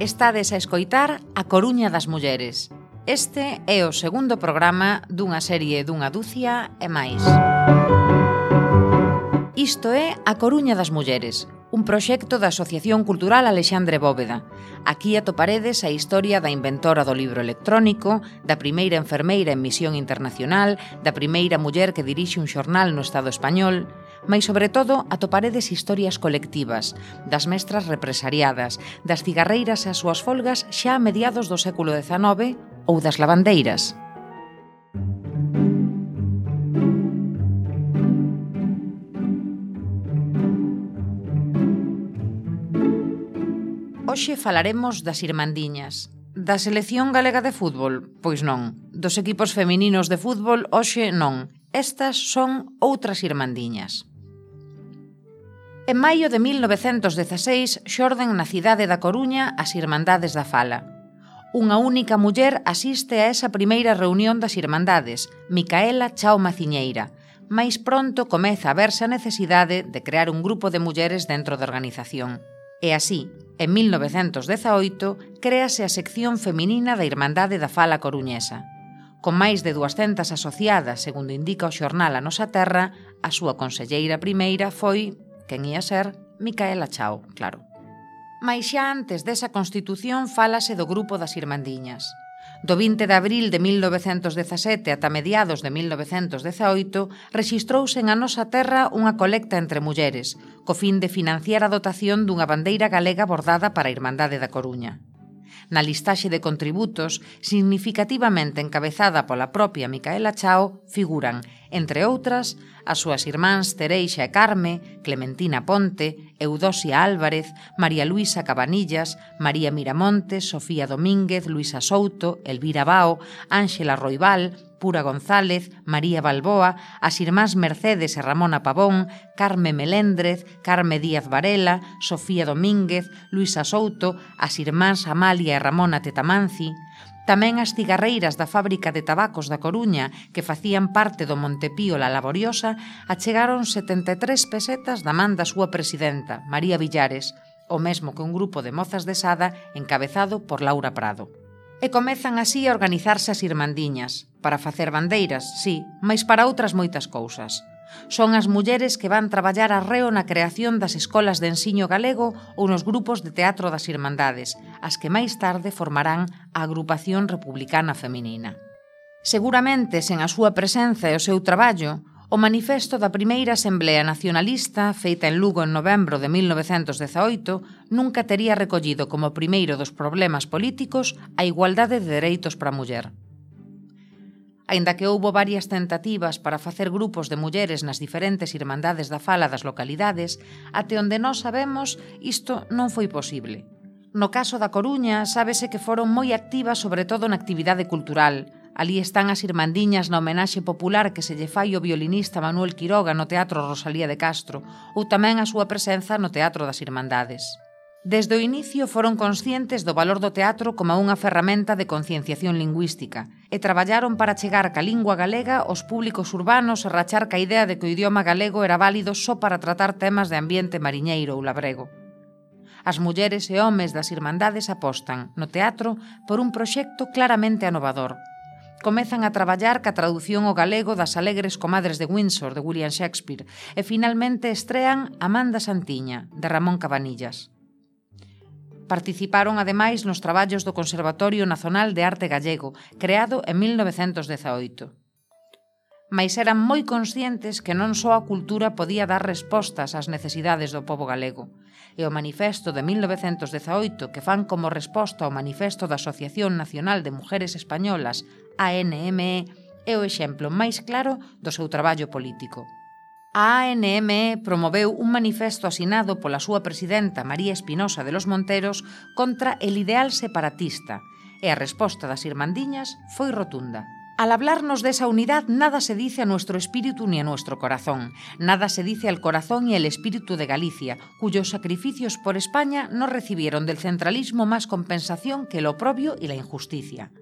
Estades a escoitar A Coruña das Mulleres. Este é o segundo programa dunha serie dunha dúcia e máis. Isto é A Coruña das Mulleres, un proxecto da Asociación Cultural Alexandre Bóveda. Aquí atoparedes a historia da inventora do libro electrónico, da primeira enfermeira en misión internacional, da primeira muller que dirixe un xornal no Estado español, mais sobre todo atoparedes historias colectivas, das mestras represariadas, das cigarreiras e as súas folgas xa a mediados do século XIX ou das lavandeiras. Hoxe falaremos das irmandiñas. Da selección galega de fútbol? Pois non. Dos equipos femininos de fútbol? Hoxe non. Estas son outras irmandiñas. En maio de 1916 xorden na cidade da Coruña as Irmandades da Fala. Unha única muller asiste a esa primeira reunión das Irmandades, Micaela Chao Maciñeira. Mais pronto comeza a verse a necesidade de crear un grupo de mulleres dentro da organización. E así, en 1918, créase a sección feminina da Irmandade da Fala coruñesa. Con máis de 200 asociadas, segundo indica o xornal A Nosa Terra, a súa conselleira primeira foi, quen ia ser, Micaela Chao, claro. Mais xa antes desa constitución fálase do grupo das Irmandiñas. Do 20 de abril de 1917 ata mediados de 1918 rexistrouse en A Nosa Terra unha colecta entre mulleres, co fin de financiar a dotación dunha bandeira galega bordada para a Irmandade da Coruña. Na listaxe de contributos, significativamente encabezada pola propia Micaela Chao, figuran, entre outras, as súas irmáns Tereixa e Carme, Clementina Ponte, Eudosia Álvarez, María Luisa Cabanillas, María Miramontes, Sofía Domínguez, Luisa Souto, Elvira Bao, Ángela Roibal, Pura González, María Balboa, as irmáns Mercedes e Ramona Pavón, Carme Melendrez, Carme Díaz Varela, Sofía Domínguez, Luisa Souto, as irmáns Amalia e Ramona Tetamanci, tamén as cigarreiras da fábrica de tabacos da Coruña, que facían parte do Montepío La Laboriosa, achegaron 73 pesetas da man da súa presidenta, María Villares, o mesmo que un grupo de mozas de Sada encabezado por Laura Prado. E comezan así a organizarse as irmandiñas, para facer bandeiras, sí, mais para outras moitas cousas. Son as mulleres que van traballar arreo na creación das escolas de ensiño galego ou nos grupos de teatro das Irmandades, as que máis tarde formarán a Agrupación Republicana Feminina. Seguramente, sen a súa presenza e o seu traballo, o manifesto da primeira Asamblea Nacionalista, feita en Lugo en novembro de 1918, nunca tería recollido como primeiro dos problemas políticos a igualdade de dereitos para a muller. Aínda que houbo varias tentativas para facer grupos de mulleres nas diferentes irmandades da fala das localidades, até onde nós sabemos, isto non foi posible. No caso da Coruña, sábese que foron moi activas sobre todo na actividade cultural. Alí están as irmandiñas na homenaxe popular que se lle fai ao violinista Manuel Quiroga no Teatro Rosalía de Castro, ou tamén a súa presenza no Teatro das Irmandades. Desde o inicio foron conscientes do valor do teatro como unha ferramenta de concienciación lingüística e traballaron para chegar ca lingua galega aos públicos urbanos e rachar ca idea de que o idioma galego era válido só para tratar temas de ambiente mariñeiro ou labrego. As mulleres e homes das Irmandades apostan, no teatro, por un proxecto claramente anovador. Comezan a traballar ca traducción ao galego das Alegres Comadres de Windsor, de William Shakespeare, e finalmente estrean Amanda Santiña, de Ramón Cabanillas. Participaron ademais nos traballos do Conservatorio Nacional de Arte Gallego, creado en 1918. Mais eran moi conscientes que non só a cultura podía dar respostas ás necesidades do pobo galego, e o manifesto de 1918 que fan como resposta ao manifesto da Asociación Nacional de Mujeres Españolas, ANME, é o exemplo máis claro do seu traballo político. A ANME promoveu un manifesto asinado pola súa presidenta María Espinosa de los Monteros contra el ideal separatista, e a resposta das irmandiñas foi rotunda. Al hablarnos de esa unidad, nada se dice a nuestro espíritu ni a nuestro corazón. Nada se dice al corazón y al espíritu de Galicia, cuyos sacrificios por España no recibieron del centralismo más compensación que el oprobio y la injusticia.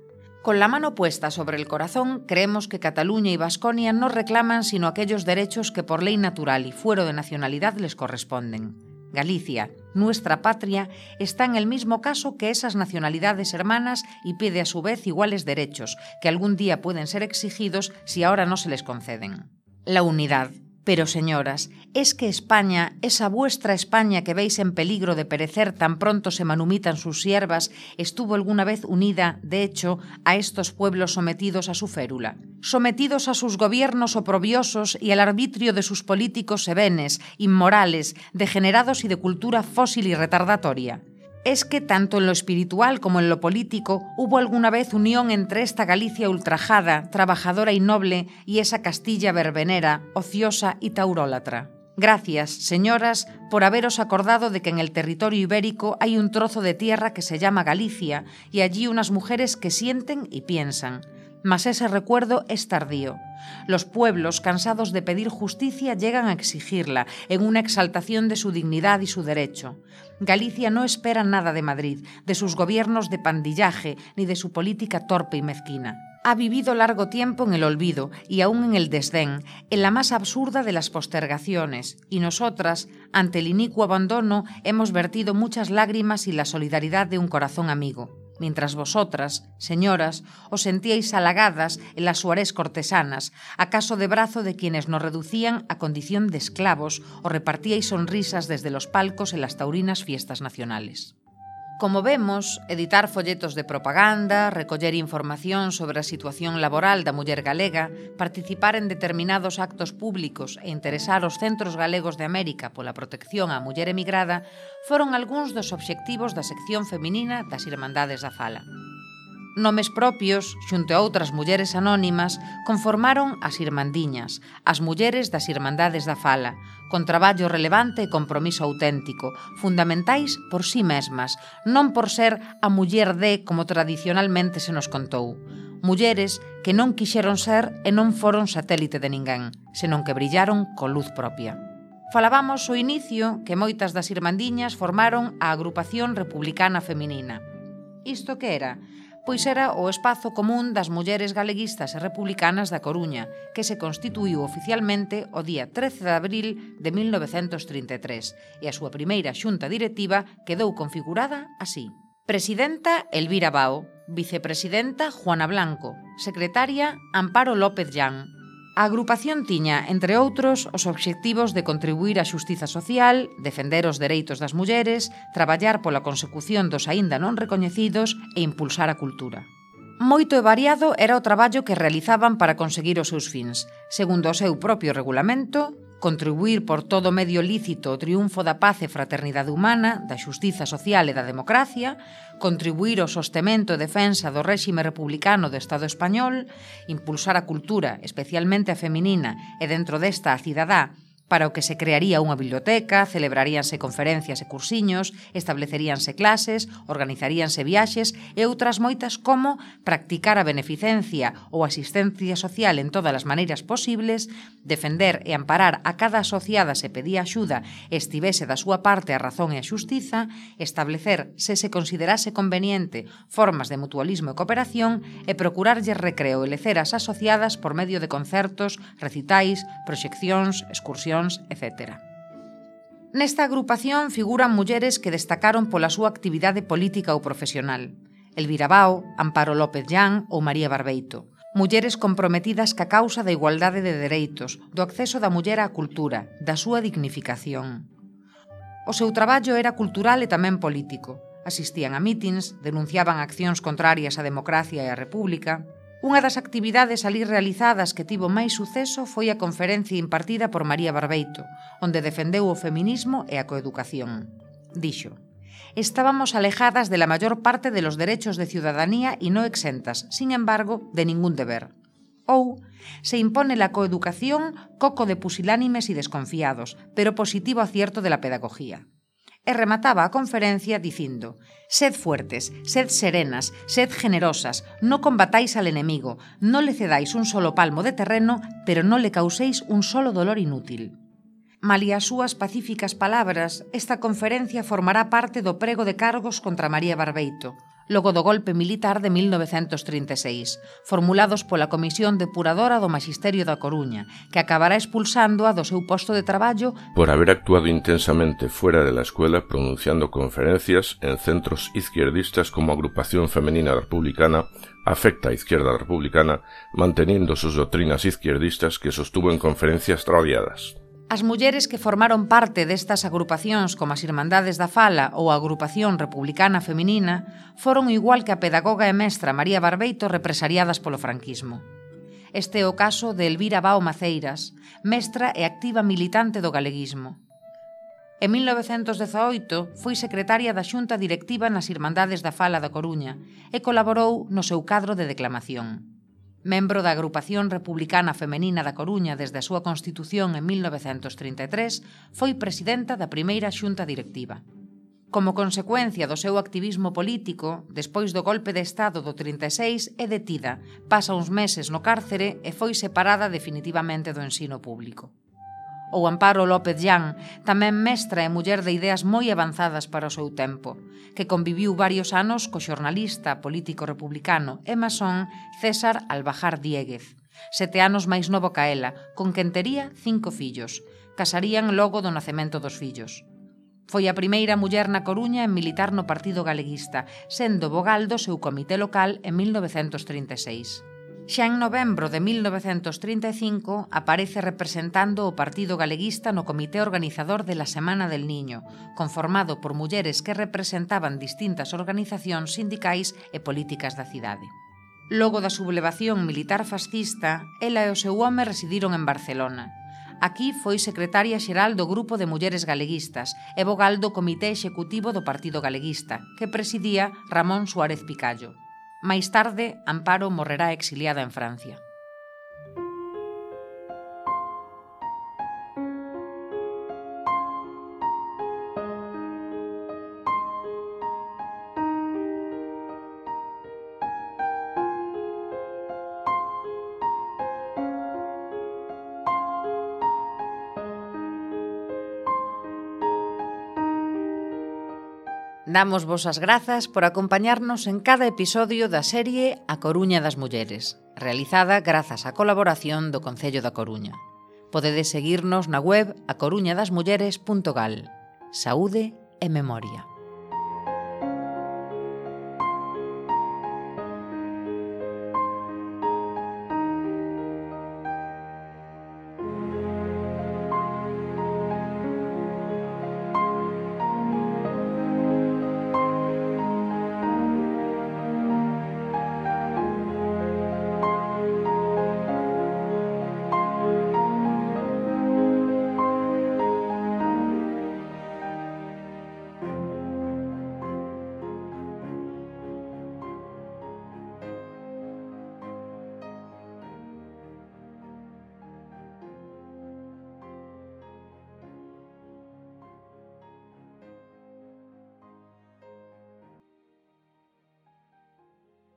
Con la mano puesta sobre el corazón, creemos que Cataluña y Baskonia no reclaman sino aquellos derechos que por ley natural y fuero de nacionalidad les corresponden. Galicia, nuestra patria, está en el mismo caso que esas nacionalidades hermanas y pide a su vez iguales derechos, que algún día pueden ser exigidos si ahora no se les conceden. La unidad. Pero, señoras, ¿es que España, esa vuestra España que veis en peligro de perecer tan pronto se manumitan sus siervas, estuvo alguna vez unida, de hecho, a estos pueblos sometidos a su férula? Sometidos a sus gobiernos oprobiosos y al arbitrio de sus políticos sevenes, inmorales, degenerados y de cultura fósil y retardatoria. Es que tanto en lo espiritual como en lo político hubo alguna vez unión entre esta Galicia ultrajada, trabajadora y noble y esa Castilla verbenera, ociosa y taurólatra. Gracias, señoras, por haberos acordado de que en el territorio ibérico hay un trozo de tierra que se llama Galicia y allí unas mujeres que sienten y piensan. Mas ese recuerdo es tardío. Los pueblos, cansados de pedir justicia, llegan a exigirla, en una exaltación de su dignidad y su derecho. Galicia no espera nada de Madrid, de sus gobiernos de pandillaje, ni de su política torpe y mezquina. Ha vivido largo tiempo en el olvido y aún en el desdén, en la más absurda de las postergaciones, y nosotras, ante el inicuo abandono, hemos vertido muchas lágrimas y la solidaridad de un corazón amigo. Mientras vosotras, señoras, os sentíais halagadas en las suarés cortesanas, acaso de brazo de quienes nos reducían a condición de esclavos o repartíais sonrisas desde los palcos en las taurinas fiestas nacionales. Como vemos, editar folletos de propaganda, recoller información sobre a situación laboral da muller galega, participar en determinados actos públicos e interesar os centros galegos de América pola protección á muller emigrada foron algúns dos obxectivos da sección feminina das Irmandades da Fala. Nomes propios, xunto a outras mulleres anónimas, conformaron as Irmandiñas, as mulleres das Irmandades da Fala, con traballo relevante e compromiso auténtico, fundamentais por sí mesmas, non por ser a muller de como tradicionalmente se nos contou. Mulleres que non quixeron ser e non foron satélite de ninguén, senón que brillaron con luz propia. Falábamos ao inicio que moitas das Irmandiñas formaron a Agrupación Republicana Feminina. Isto que era? Pois era o espazo común das mulleres galeguistas e republicanas da Coruña, que se constituíu oficialmente o día 13 de abril de 1933, e a súa primeira xunta directiva quedou configurada así. Presidenta Elvira Bao, vicepresidenta Juana Blanco, secretaria Amparo López Llán. A agrupación tiña, entre outros, os obxectivos de contribuir á xustiza social, defender os dereitos das mulleres, traballar pola consecución dos aínda non recoñecidos e impulsar a cultura. Moito e variado era o traballo que realizaban para conseguir os seus fins. Segundo o seu propio regulamento, contribuir por todo medio lícito o triunfo da paz e fraternidade humana, da xustiza social e da democracia, contribuir ao sostemento e defensa do réxime republicano do Estado español, impulsar a cultura, especialmente a feminina, e dentro desta a cidadá, para o que se crearía unha biblioteca, celebraríanse conferencias e cursiños, estableceríanse clases, organizaríanse viaxes e outras moitas como practicar a beneficencia ou asistencia social en todas as maneiras posibles, defender e amparar a cada asociada se pedía axuda e estivese da súa parte a razón e a xustiza, establecer, se se considerase conveniente, formas de mutualismo e cooperación e procurarlles recreo e lecer as asociadas por medio de concertos, recitais, proxeccións, excursións, etc. Nesta agrupación figuran mulleres que destacaron pola súa actividade política ou profesional. Elvira Bao, Amparo López Llán ou María Barbeito. Mulleres comprometidas ca causa da igualdade de dereitos, do acceso da muller á cultura, da súa dignificación. O seu traballo era cultural e tamén político. Asistían a mítins, denunciaban accións contrarias á democracia e á república. Unha das actividades alí realizadas que tivo máis suceso foi a conferencia impartida por María Barbeito, onde defendeu o feminismo e a coeducación. Dixo: «Estábamos alejadas de la mayor parte de los derechos de ciudadanía y no exentas, sin embargo, de ningún deber». Ou, se impone la coeducación, coco de pusilánimes y desconfiados, pero positivo acierto de la pedagogía. E remataba a conferencia dicindo: «Sed fuertes, sed serenas, sed generosas, no combatáis al enemigo, no le cedáis un solo palmo de terreno, pero no le causéis un solo dolor inútil». Malia as súas pacíficas palabras, esta conferencia formará parte do prego de cargos contra María Barbeito, logo do golpe militar de 1936, formulados pola Comisión Depuradora do Maxisterio da Coruña, que acabará expulsándoa do seu posto de traballo por haber actuado intensamente fuera de la escuela pronunciando conferencias en centros izquierdistas como Agrupación Femenina Republicana, Afecta Izquierda Republicana, manteniendo sus doctrinas izquierdistas que sostuvo en conferencias radiadas. As mulleres que formaron parte destas agrupacións como as Irmandades da Fala ou a Agrupación Republicana Feminina foron igual que a pedagoga e mestra María Barbeito represariadas polo franquismo. Este é o caso de Elvira Bao Maceiras, mestra e activa militante do galeguismo. En 1918 foi secretaria da Xunta Directiva nas Irmandades da Fala da Coruña e colaborou no seu cadro de declamación. Membro da Agrupación Republicana Femenina da Coruña desde a súa constitución en 1933, foi presidenta da primeira xunta directiva. Como consecuencia do seu activismo político, despois do golpe de Estado do 36, é detida, pasa uns meses no cárcere e foi separada definitivamente do ensino público. Ou Amparo López Llán, tamén mestra e muller de ideas moi avanzadas para o seu tempo, que conviviu varios anos co xornalista político republicano e masón César Albajar Diéguez, 7 anos máis novo ca ela, con quen tería 5 fillos. Casarían logo do nacemento dos fillos. Foi a primeira muller na Coruña en militar no Partido Galeguista, sendo vogal do seu comité local en 1936. Xa en novembro de 1935 aparece representando o Partido Galeguista no comité organizador de la Semana del Niño, conformado por mulleres que representaban distintas organizacións sindicais e políticas da cidade. Logo da sublevación militar fascista, ela e o seu home residiron en Barcelona. Aquí foi secretaria xeral do Grupo de Mulleres Galeguistas e vogal do Comité Executivo do Partido Galeguista, que presidía Ramón Suárez Picallo. Máis tarde, Amparo morrerá exiliada en Francia. Damos vos as grazas por acompañarnos en cada episodio da serie A Coruña das Mulleres, realizada grazas á colaboración do Concello da Coruña. Podedes seguirnos na web acoruñadasmulleres.gal. Saúde e memoria.